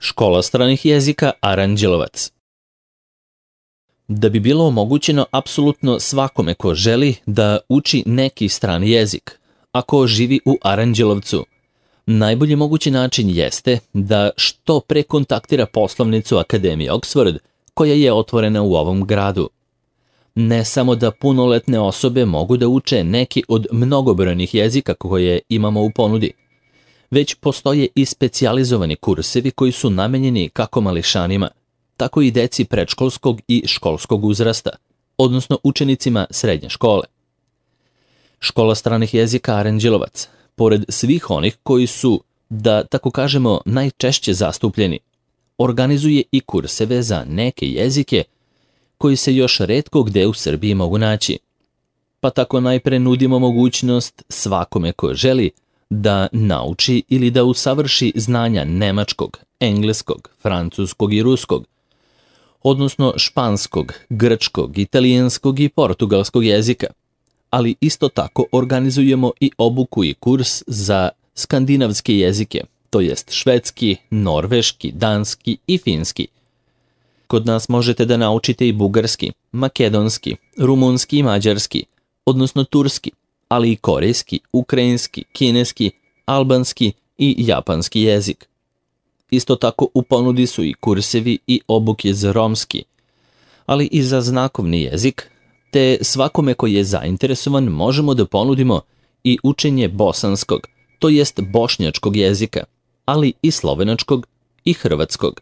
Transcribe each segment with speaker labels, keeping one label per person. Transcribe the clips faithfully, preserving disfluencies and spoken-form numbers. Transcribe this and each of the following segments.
Speaker 1: Škola stranih jezika Aranđelovac. Da bi bilo omogućeno apsolutno svakome ko želi da uči neki strani jezik, ako živi u Aranđelovcu, najbolji mogući način jeste da što pre kontaktira poslovnicu Akademije Oxford, koja je otvorena u ovom gradu. Ne samo da punoletne osobe mogu da uče neki od mnogobrojnih jezika koje imamo u ponudi, već postoje i specijalizovani kursevi koji su namenjeni kako mališanima, tako i deci predškolskog i školskog uzrasta, odnosno učenicima srednje škole. Škola stranih jezika Aranđelovac, pored svih onih koji su, da tako kažemo, najčešće zastupljeni, organizuje i kurseve za neke jezike koji se još retko gde u Srbiji mogu naći. Pa tako najpre nudimo mogućnost svakome ko želi da nauči ili da usavrši znanja nemačkog, engleskog, francuskog i ruskog, odnosno španskog, grčkog, italijanskog i portugalskog jezika, ali isto tako organizujemo i obuku i kurs za skandinavske jezike, to jest švedski, norveški, danski i finski. Kod nas možete da naučite i bugarski, makedonski, rumunski i mađarski, odnosno turski, ali i korejski, ukrajinski, kineski, albanski i japanski jezik. Isto tako u ponudi su i kursevi i obuke za romski, ali i za znakovni jezik, te svakome koji je zainteresovan možemo da ponudimo i učenje bosanskog, to jest bošnjačkog jezika, ali i slovenačkog i hrvatskog.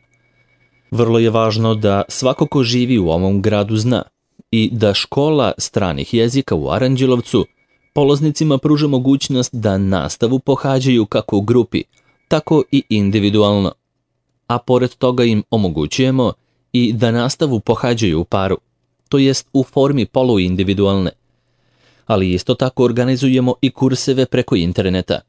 Speaker 1: Vrlo je važno da svako ko živi u ovom gradu zna i da škola stranih jezika u Aranđelovcu polaznicima pruža mogućnost da nastavu pohađaju kako u grupi, tako i individualno, a pored toga im omogućujemo i da nastavu pohađaju u paru, to jest u formi poluindividualne, ali isto tako organizujemo i kurseve preko interneta.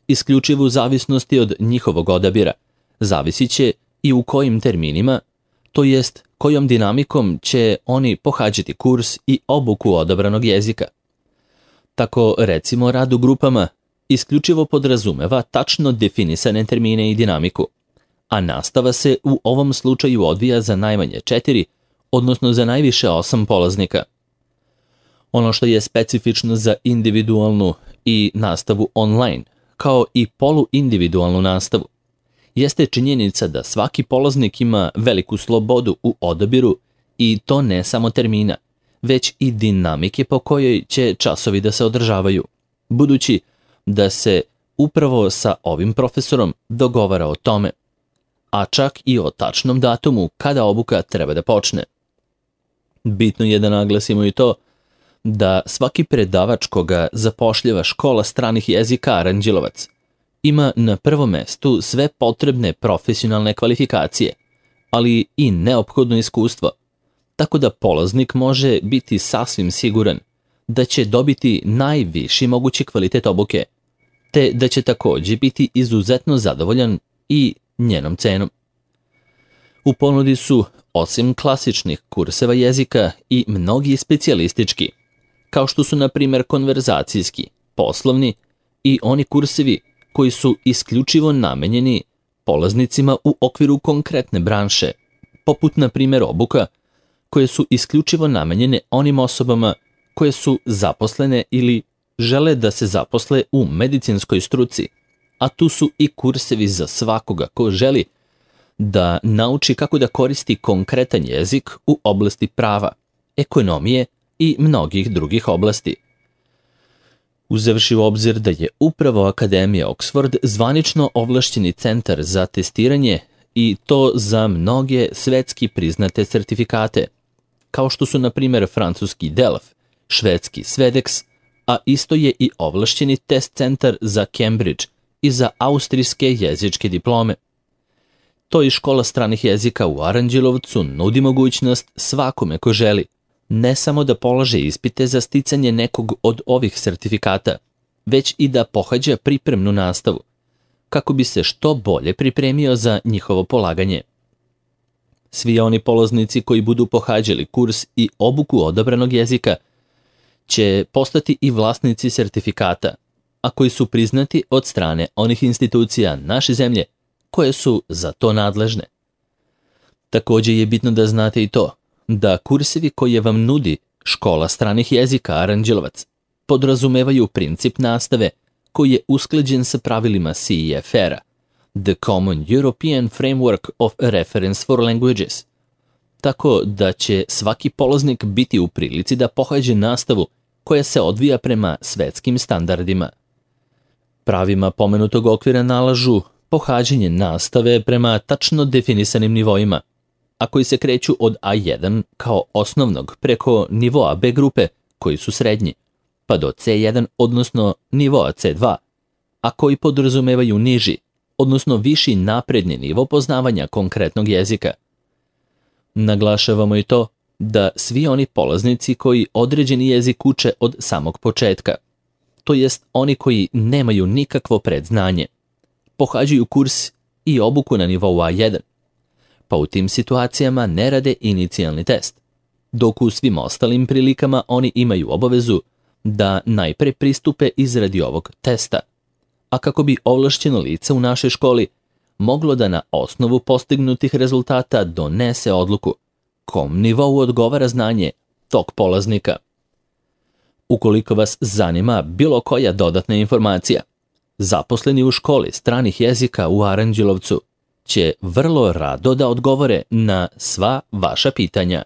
Speaker 1: Isključivo u zavisnosti od njihovog odabira, zavisit će i u kojim terminima, to jest kojom dinamikom će oni pohađati kurs i obuku odabranog jezika. Tako, recimo, rad u grupama isključivo podrazumeva tačno definisane termine i dinamiku, a nastava se u ovom slučaju odvija za najmanje četiri, odnosno za najviše osam polaznika. Ono što je specifično za individualnu i nastavu online, kao i poluindividualnu nastavu, jeste činjenica da svaki polaznik ima veliku slobodu u odabiru i to ne samo termina, već i dinamike po kojoj će časovi da se održavaju, budući da se upravo sa ovim profesorom dogovara o tome, a čak i o tačnom datumu kada obuka treba da počne. Bitno je da naglasimo i to da svaki predavač koga zapošljava škola stranih jezika Aranđelovac ima na prvom mestu sve potrebne profesionalne kvalifikacije, ali i neophodno iskustvo, tako da polaznik može biti sasvim siguran da će dobiti najviši mogući kvalitet obuke, te da će takođe biti izuzetno zadovoljan i njenom cenom. U ponudi su, osim klasičnih kurseva jezika, i mnogi specijalistički, kao što su na primjer konverzacijski, poslovni i oni kursevi koji su isključivo namenjeni polaznicima u okviru konkretne branše, poput na primjer obuka koje su isključivo namenjene onim osobama koje su zaposlene ili žele da se zaposle u medicinskoj struci, a tu su i kursevi za svakoga ko želi da nauči kako da koristi konkretan jezik u oblasti prava, ekonomije i mnogih drugih oblasti. Uzevši u obzir da je upravo Akademija Oxford zvanično ovlašćeni centar za testiranje i to za mnoge svetski priznate sertifikate, kao što su na primjer francuski Delf, švedski Svedex, a isto je i ovlašćeni test centar za Cambridge i za austrijske jezičke diplome. To i škola stranih jezika u Aranđelovcu nudi mogućnost svakome ko želi ne samo da polaže ispite za sticanje nekog od ovih sertifikata, već i da pohađa pripremnu nastavu, kako bi se što bolje pripremio za njihovo polaganje. Svi oni polaznici koji budu pohađali kurs i obuku odabranog jezika će postati i vlasnici sertifikata, a koji su priznati od strane onih institucija naše zemlje koje su za to nadležne. Također je bitno da znate i to da kursevi koje vam nudi Škola stranih jezika Aranđelovac podrazumevaju princip nastave koji je usklađen sa pravilima C E F R-a, The Common European Framework of Reference for Languages, tako da će svaki polaznik biti u prilici da pohađe nastavu koja se odvija prema svetskim standardima. Pravima pomenutog okvira nalažu pohađanje nastave prema tačno definisanim nivoima, a koji se kreću od A jedan kao osnovnog preko nivoa B grupe koji su srednji, pa do C jedan odnosno nivoa C dva, a koji podrazumevaju niži, odnosno viši napredni nivo poznavanja konkretnog jezika. Naglašavamo i to da svi oni polaznici koji određeni jezik uče od samog početka, to jest oni koji nemaju nikakvo predznanje, pohađaju kurs i obuku na nivou A jedan, pa u tim situacijama ne rade inicijalni test, dok u svim ostalim prilikama oni imaju obavezu da najpre pristupe izradi ovog testa, a kako bi ovlašćeno lice u našoj školi moglo da na osnovu postignutih rezultata donese odluku kom nivou odgovara znanje tog polaznika. Ukoliko vas zanima bilo koja dodatna informacija, zaposleni u školi stranih jezika u Aranđelovcu će vrlo rado da odgovore na sva vaša pitanja.